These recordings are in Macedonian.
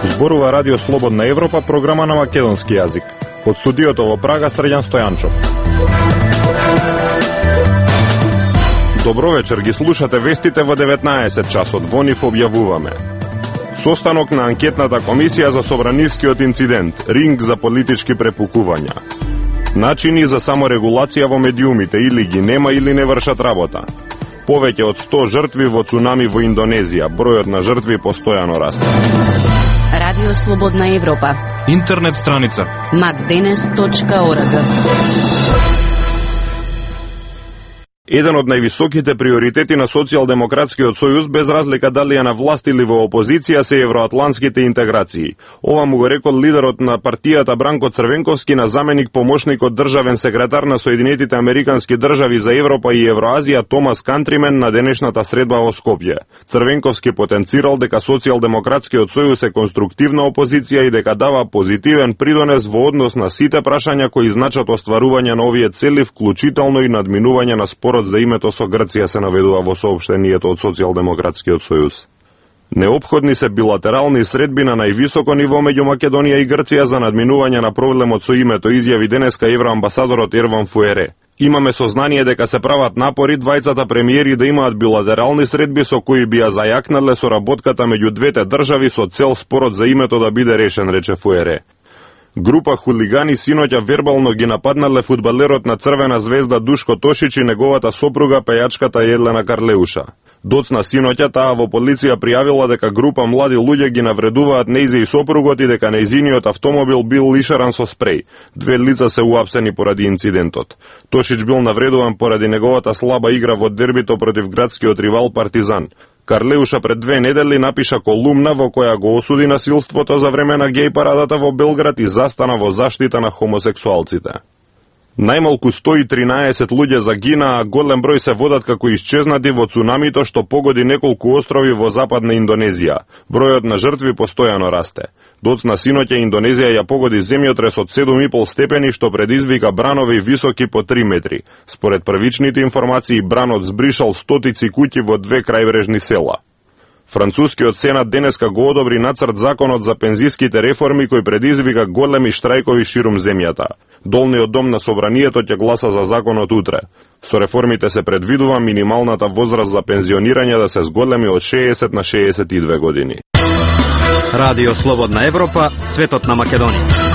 Зборува Радио Слободна Европа, програма на македонски јазик. Од студиото во Прага, Срđan Стојанчов. Добро вечер, ги слушате вестите во 19 часот. Во нив објавуваме: состанок на анкетната комисија за собранискиот инцидент, ринг за политички препукувања, начини за саморегулација во медиумите, или ги нема или не вршат работа, повеќе од 100 жртви во цунами во Индонезија, бројот на жртви постојано расте. Радио Слободна Европа. Интернет страница macdenes.org. Еден од највисоките приоритети на Социјалдемократскиот сојуз, без разлика дали е на власт или во опозиција, се евроатлантските интеграции. Ова му го рекол лидерот на партијата Бранко Црвенковски на заменик помошникот државен секретар на Соединетите Американски држави за Европа и Евроазија Томас Кантримен на денешната средба во Скопје. Црвенковски потенцирал дека Социјалдемократскиот сојуз е конструктивна опозиција и дека дава позитивен придонес во однос на сите прашања кои значат остварување на овие цели, вклучително и надминување на спорот за името со Грција, се наведува во соопштението од Социјалдемократскиот сојуз. Неопходни се билатерални средби на највисоко ниво меѓу Македонија и Грција за надминување на проблемот со името, изјави денеска евроамбасадорот Ерван Фуере. Имаме сознание дека се прават напори двајцата премиери да имаат билатерални средби со кои би ја зајакнале соработката меѓу двете држави со цел спорот за името да биде решен, рече Фуере. Група хулигани синоќа вербално ги нападнале фудбалерот на Црвена звезда Душко Тошич и неговата сопруга пејачката Елена Карлеуша. Доцна синоќа таа во полиција пријавила дека група млади луѓе ги навредуваат нејзе и сопругот и дека нејзиниот автомобил бил лишаран со спреј. Две лица се уапсени поради инцидентот. Тошич бил навредуван поради неговата слаба игра во дербито против градскиот ривал Партизан. Карлеуша пред 2 недели напиша колумна во која го осуди насилството за време на геј парадата во Белград и застана во заштита на хомосексуалците. Најмалку 113 луѓе загинаа, а голем број се водат како исчезнати во цунамито што погоди неколку острови во западна Индонезија. Бројот на жртви постојано расте. Доцна синоќа Индонезија ја погоди земјотрес од 7,5 степени што предизвика бранови високи по 3 метри. Според првичните информации, бранот збришал стотици куќи во 2 крајбрежни села. Францускиот сенат денеска го одобри нацрт законот за пензиските реформи кој предизвика големи штрајкови ширум земјата. Долниот дом на собранието ќе гласа за законот утре. Со реформите се предвидува минималната возраст за пензионирање да се зголеми од 60 на 62 години. Радио Слободна Европа, светот на Македонија.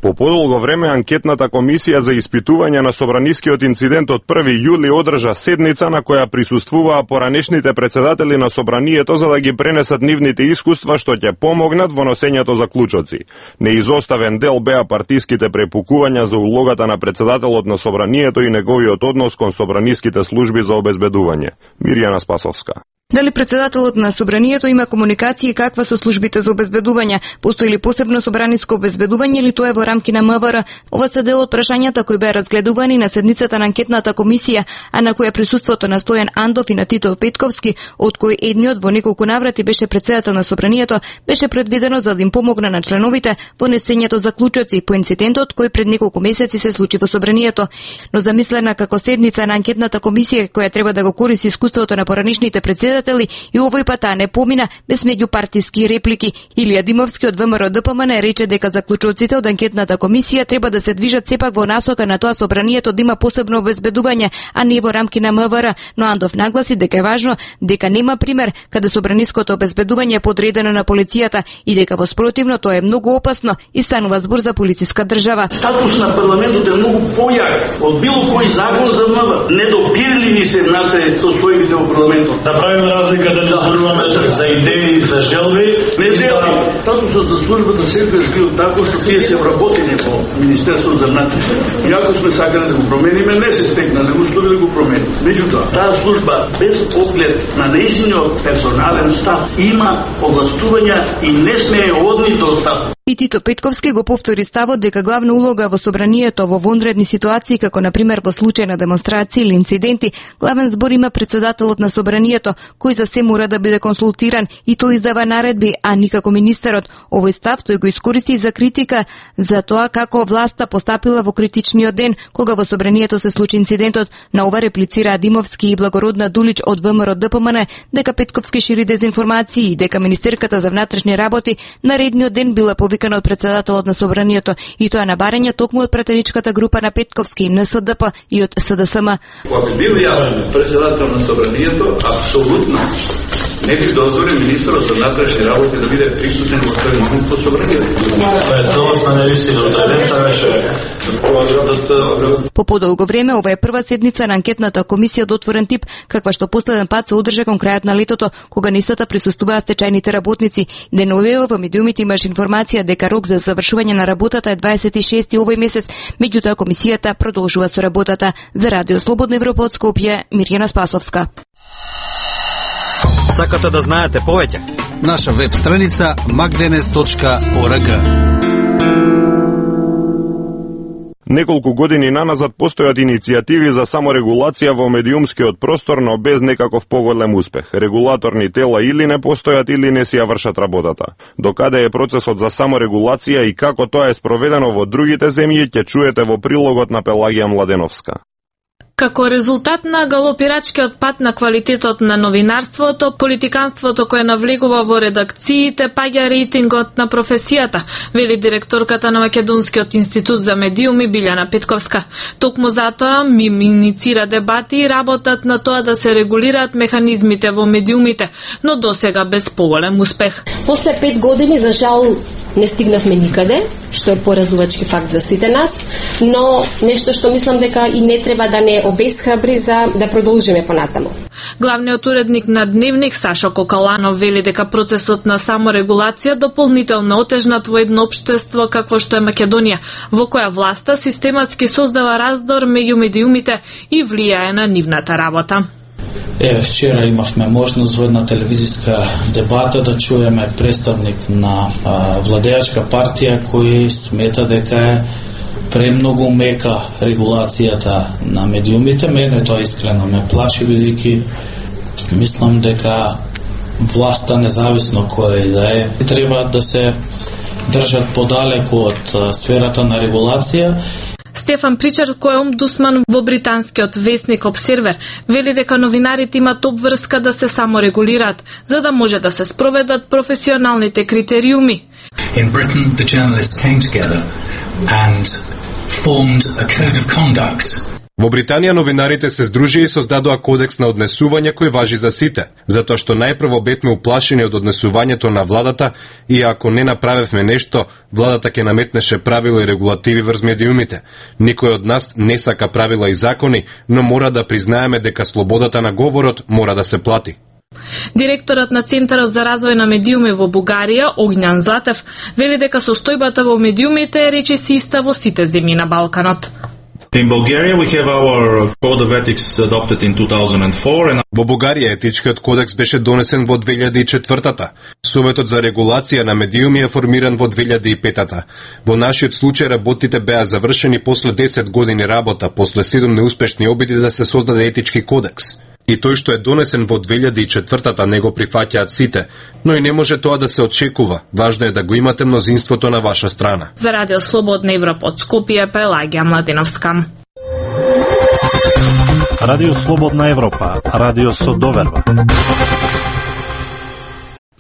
По подолго време, анкетната комисија за испитување на собранискиот инцидент од 1 јули одржа седница на која присуствуваа поранешните председатели на собранието за да ги пренесат нивните искуства што ќе помогнат во носењето заклучоци. Неизоставен дел беа партиските препукувања за улогата на председателот на собранието и неговиот однос кон собраниските служби за обезбедување. Мирјана Спасовска. Дали председателот на собранието има комуникација и каква со службите за обезбедување? Постои ли посебно собраниско обезбедување или тоа е во рамки на МВР? Ова се дел од прашањата кои беа разгледувани на седницата на анкетната комисија, а на која присуството на Стојан Андов и на Тито Петковски, од кој едниот во неколку наврати беше председател на собранието, беше предвидено за да им помогне на членовите во несењето заклучоци по инцидентот кој пред неколку месеци се случи во собранието. Но замислена како седница на анкетната комисија која треба да го користи искуството на поранешните председатели, и овој пат не помина без меѓупартиски реплики. Илија Димовски од ВМРО ДПМН рече дека заклучоците од анкетната комисија треба да се движат сепак во насока на тоа собранието да има посебно обезбедување, а не во рамки на МВР, но Андов нагласи дека е важно дека нема пример каде собраниското обезбедување е подредено на полицијата и дека во спротивно тоа е многу опасно и станува збор за полициска држава. Статус на парламентот е многу појак од било кој закон за МВР. Недопирли ни се внатре состојбите во парламентот. Да правиме разлика да не зборуваме за идеи, за желби. Не желби. Статусот за службата секогаш бил тако што тие се вработени во Министерството за внатрешни. И ако сме сакале да го промениме, не се стекнале услови да го промениме. Меѓутоа, таа служба без оглед на нејзиниот персонален став има овластувања и не смее од нито став. И Тито Петковски го повтори ставот дека главна улога во собранието во вонредни ситуации, како на пример во случај на демонстрации или инциденти, главен збор има председателот на собранието, кој за се мора да биде консултиран и тој издава наредби, а никако министерот. Овој став тој го искористи за критика за тоа како власта постапила во критичниот ден, кога во собранието се случи инцидентот. На ова реплицира Димовски и Благородна Дулич од ВМРО ДПМН дека Петковски шири дезинформации и дека министерката за внатрешни работи наредниот ден била повикана од председателот на собранието, и тоа на барање токму од пратеничката група на Петковски, НСДП и од СДСМ. Кога би бил ја председател на собранието, апсолутно не би дозволил министерот за внатрешни работи да биде присутен во тој момент во собранието. Тоа е целосна невистина, тој беше По подолго време, ова е прва седница на анкетната комисија од отворен тип, каква што последен пат се одржа кон крајот на летото, кога нистата присуствуваа стечајните работници. Деновево во медиумите имаш информација дека рок за завршување на работата е 26 овој месец, меѓутоа комисијата продолжува со работата. За Радио Слободна Европа од Скопје, Мирјана Спасовска. Сакате да знаете повеќе? Наша веб страница magdenes.org. Неколку години наназад постојат иницијативи за саморегулација во медиумскиот простор, но без некаков поголем успех. Регулаторни тела или не постојат или не си ја вршат работата. Докаде е процесот за саморегулација и како тоа е спроведено во другите земји, ќе чуете во прилогот на Пелагија Младеновска. Како резултат на галопирачкиот пат на квалитетот на новинарството, политиканството кое навлегува во редакциите, паѓа рейтингот на професијата, вели директорката на Македонскиот институт за медиуми Билјана Петковска. Токму затоа МИМ иницира дебати и работат на тоа да се регулираат механизмите во медиумите, но досега без поголем успех. После 5 години, за жал, не стигнавме никаде, што е поразувачки факт за сите нас, но нешто што мислам дека и не треба да не обесхрабри за да продолжиме понатаму. Главниот уредник на Дневник Сашо Кокаланов вели дека процесот на саморегулација дополнително отежнат во едно општество какво што е Македонија, во која власта систематски создава раздор меѓу медиумите и влијае на нивната работа. Вчера имавме можност во една телевизиска дебата да чуеме представник на владеачка партија кој смета дека е премногу мека регулацијата на медиумите. Мене тоа искрено ме плаши, бидејќи мислам дека власта, независно која да е, треба да се држат подалеку од сферата на регулација. Стефан Причар, кој е омбудсман во британскиот весник Обсервер, вели дека новинарите имат обврска да се саморегулираат, за да може да се спроведат професионалните критериуми. In Britain, the journalists came together and formed a code of conduct. Во Британија новинарите се здружија и создадоа кодекс на однесување кој важи за сите, затоа што најпрво бевме уплашени од однесувањето на владата и ако не направевме нешто, владата ќе наметнеше правила и регулативи врз медиумите. Никој од нас не сака правила и закони, но мора да признаеме дека слободата на говорот мора да се плати. Директорот на Центарот за развој на медиуми во Бугарија, Огњан Златев, вели дека состојбата во медиумите е речиси иста во сите земји на Балканот. In Bulgaria we have our code of ethics adopted in 2004 and Во Бугарија етичкиот кодекс беше донесен во 2004-та. Советот за регулација на медиуми е формиран во 2005-та. Во нашиот случај работите беа завршени после 10 години работа, после 7 неуспешни обиди да се создаде етички кодекс. И тој што е донесен во 2004-та не го прифаќаат сите, но и не може тоа да се очекува. Важно е да го имате мнозинството на ваша страна. За Радио Слободна Европа од Скопје, Пелагија Младеновска. Радио Слободна Европа, радио со доверба.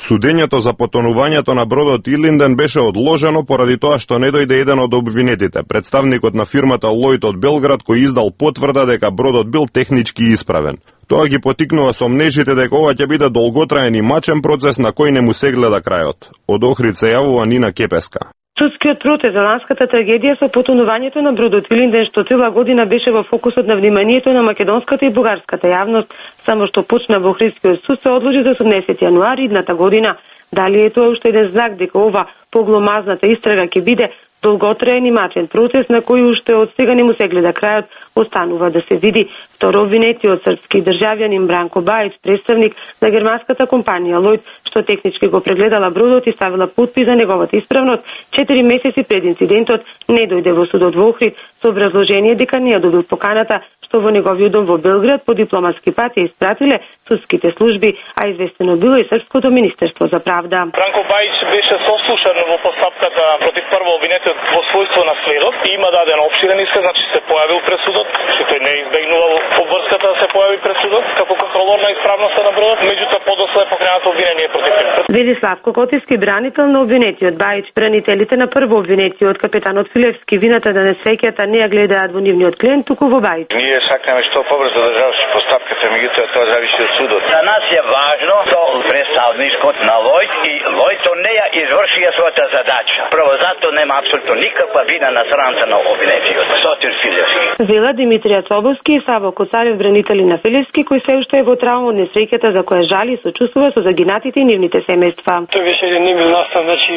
Судењето за потонувањето на бродот Илинден беше одложено поради тоа што не дојде еден од обвинетите, представникот на фирмата Лојд од Белград, кој издал потврда дека бродот бил технички исправен. Тоа ги потикнува сомнежите дека ова ќе биде долготраен и мачен процес на кој не му се гледа крајот. Од Охрид се јавува Нина Кепеска. Судскиот процес за ланската трагедија со потонувањето на бродот Илинден, што цела година беше во фокусот на вниманието на македонската и бугарската јавност, само што почна во Охридскиот суд, се одложи за 18 јануари идната година. Дали е тоа уште еден знак дека ова погломазната истрага ќе биде долготраен и матен процес на кој уште од сега не му се гледа крајот, останува да се види. Второ обвинетиот српски државјанин Бранко Бајич, представник на германската компанија Lloyd, што технички го прегледала бродот и ставила подпис за неговата исправност, 4 месеци пред инцидентот не дојде во судот во Охрид со образложение дека не ја добил поканата, што во неговиот дом во Белград по дипломатски пат ја испратиле судските служби, а известено било и Српското министерство за правда. Бранко Бајич беше сослушан во постапката против прво обвинетиот во својство на сведок и има даден опширен исказ, значи се појавил пред судот, што тој не избегнувал обврската да се појави пред судот како контролор на исправноста на бродот, меѓутоа подоцна е покренато обвинение против него. Вели Славко Котевски, бранител на обвинетиот Бајич. Бранителите на прво обвинетиот капетанот Филевски вината да не среќата не ја гледаат во нивниот клиент, туку во Бајич. Ние сакаме што побрзо да заврши постапката, меѓутоа тоа зависи од судот. За нас е важно што представникот на Lloyd и Lloyd не ја извршија својата задача. Прво затоа нема апсолутно никаква вина на страната на обвинетиот Сотир Филевски. Вела Димитрија Цобовски и Саво Коцарев, бранители на Филевски, кој се уште е во травма од несреќата за која жали и сочувствува со загинатите и нивните семејства. Тој беше еден немил настан, значи,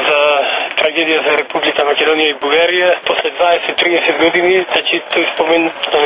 за трагедија за Република Македонија и Бугарија. После 20-30 години, значи, тој спомен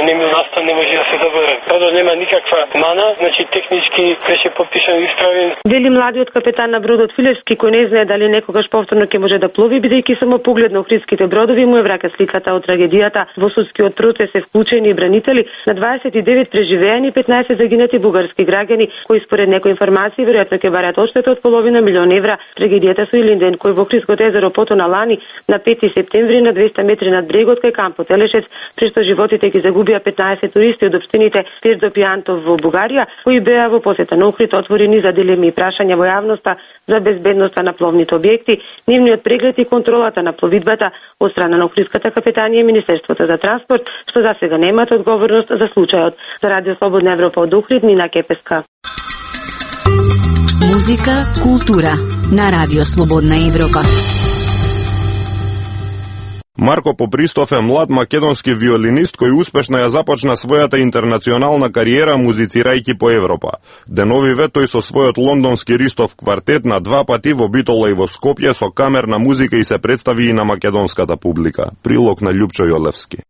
немил настан не може да се заборави. Бродот нема никаква мана, значи, технички беше подпишан и исправен. Вели младиот капетан на бродот Филевски, кој не знае дали некогаш повторно ќе може да плови, бидејќи само поглед на охридските бродови му е враќа сликата од трагедијата. Во судскиот процес се вклучени и бранители на 29 преживеани и 15 загинати бугарски граѓани, кои според некои информации веројатно ќе бараат одштета од половина милион евра. Трагедијата со Илинден, кој во Охридското езеро потона лани на 5 септември на 200 метри над брегот кај кампот Елешец, прешто животите ги загубија 15 туристи од општините Пирдоп и Антов во Бугарија, кои беа во посета на Охрид, отворени за дилеми и прашања во јавноста за безбедноста на пловните објекти, нивниот преглед и контролата на пловидбата од страна на Охридската капетанија и Министерството за транспорт, што за сега немаат одговорност за случајот. За Радио Слободна Европа од Охрид, Нина Кепеска. Музика, култура на Радио Слободна Европа. Марко Попристов е млад македонски виолинист кој успешно ја започна својата интернационална кариера музицирајќи по Европа. Деновиве тој со својот лондонски Ристов квартет на 2 пати во Битола и во Скопје со камерна музика и се представи и на македонската публика. Прилог на Љупчо Јолевски.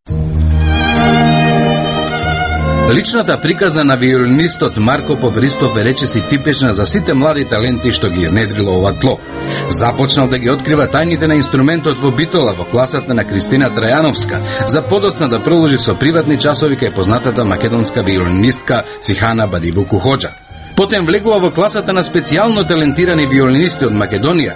Личната приказна на виолинистот Марко Попристов е речиси типична за сите млади таленти што ги изнедрило ова тло. Започнал да ги открива тајните на инструментот во Битола во класата на Кристина Трајановска, за подоцна да продолжи со приватни часови кај познатата македонска виолинистка Сихана Бадибуку Хоџа. Потем влегува во класата на специјално талентирани виолинисти од Македонија,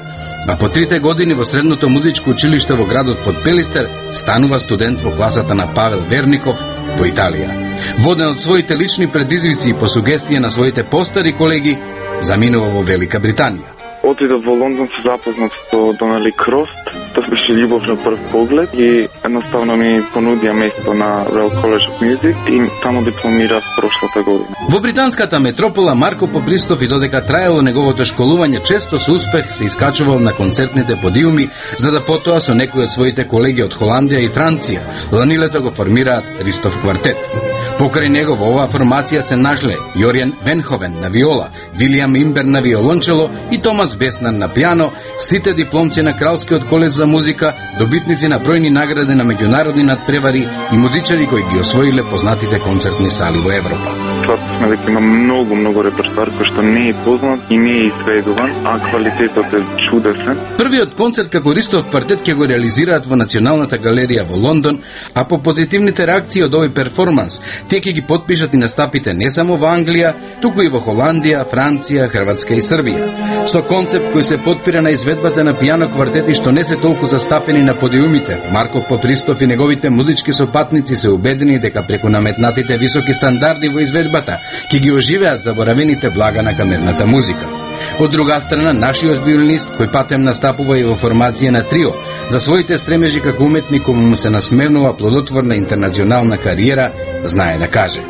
а по 3 години во средното музичко училиште во градот Подпелистер станува студент во класата на Павел Верников во Италија. Воден од своите лични предизвици и по сугестија на своите постари колеги, заминува во Велика Британија. Отидов во Лондон, се запознат со Донали Крост. Тоа беше љубов на прв поглед и едноставно ми понудија место на Royal College of Music и таму дипломирав прошлата година. Во британската метропола Марко Попристов и додека траело неговото школување често со успех се искачувал на концертните подиуми, за да потоа со некои од своите колеги од Холандија и Франција ланилето го формираат Ристов квартет. Покрај него во оваа формација се нашле Јоријан Венховен на виола, Вилијам Имбер на виолончело и Томас Беснан на пијано, сите дипломци на Кралскиот колеж за музика, добитници на бројни награди на меѓународни надпревари и музичари кои ги освоиле познатите концертни сали во Европа. Сме дека има многу репертоар кој што не е познат и не е изведуван, а квалитетот е чудесен. Првиот концерт како Ристов квартет ќе го реализираат во Националната галерија во Лондон, а по позитивните реакции од овој перформанс, тие ќе ги потпишат и настапите не само во Англија, туку и во Холандија, Франција, Хрватска и Србија. Со концепт кој се потпира на изведбата на пијано квартети што не се толку застапени на подиумите, Марко Попристов и неговите музички сопатници се убедени дека преку наметнатите високи стандарди во изведбата ќе ги оживеат заборавените блага на камерната музика. Од друга страна, нашиот виолинист, кој патем настапува и во формација на трио, за своите стремежи како уметник кому му се насмевнува плодотворна интернационална кариера, знае да каже.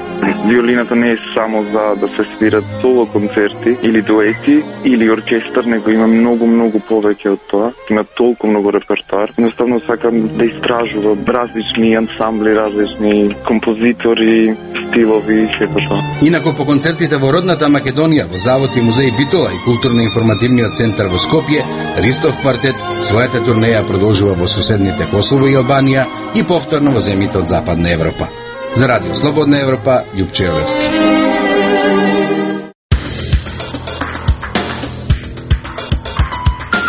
Виолината не е само за да се свират соло концерти или дуети или оркестар, него има многу повеќе од тоа. Има толку многу репертоар. Едноставно сакам да истражувам различни ансамбли, различни композитори, стилови и сето тоа. Инако по концертите во родната Македонија, во Завод и музеј Битола и културно-информативниот центар во Скопје, Ристов квартет својата турнеја продолжува во соседните Косово и Албанија и повторно во земјите од Западна Европа. За Радио Слободна Европа, Љупче Јовевски.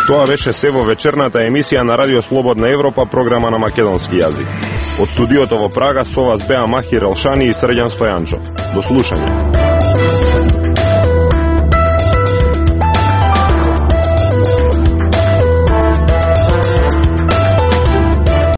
Тоа беше се во вечерната емисија на Радио Слободна Европа, програма на македонски јазик. Од студиото во Прага со вас беа Махир Елшани и Срđan Стојанчов. До слушање.